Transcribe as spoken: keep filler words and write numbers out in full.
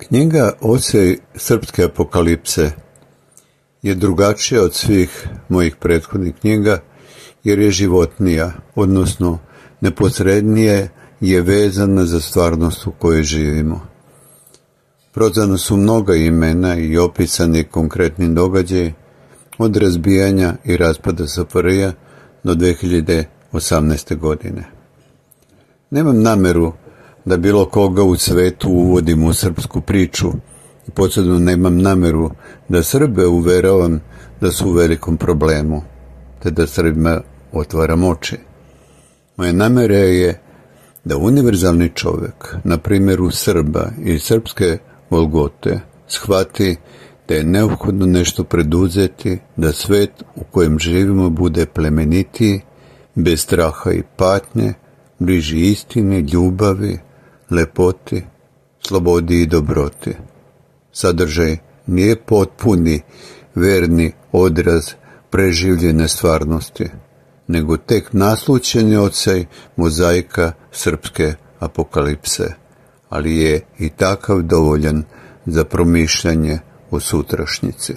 Knjiga Osej srpske apokalipse je drugačija od svih mojih prethodnih knjiga jer je životnija, odnosno neposrednije je vezana za stvarnost u kojoj živimo. Prozvana su mnoga imena i opisani konkretni događaji od razbijanja i raspada S F R J do dve hiljade osamnaeste. godine. Nemam nameru da bilo koga u svetu uvodim u srpsku priču i posebno nemam nameru da Srbe uveravam da su u velikom problemu, te da Srbima otvaram oči. Moja namera je da univerzalni čovjek, na primjeru Srba i srpske Golgote, shvati da je neophodno nešto preduzeti, da svet u kojem živimo bude plemenitiji, bez straha i patnje, bliži istini, ljubavi, lepoti, slobodi i dobroti. Sadržaj nije potpuni, verni odraz preživljene stvarnosti, nego tek naslućeni odsaj mozaika srpske apokalipse, ali je i takav dovoljan za promišljanje o sutrašnjici.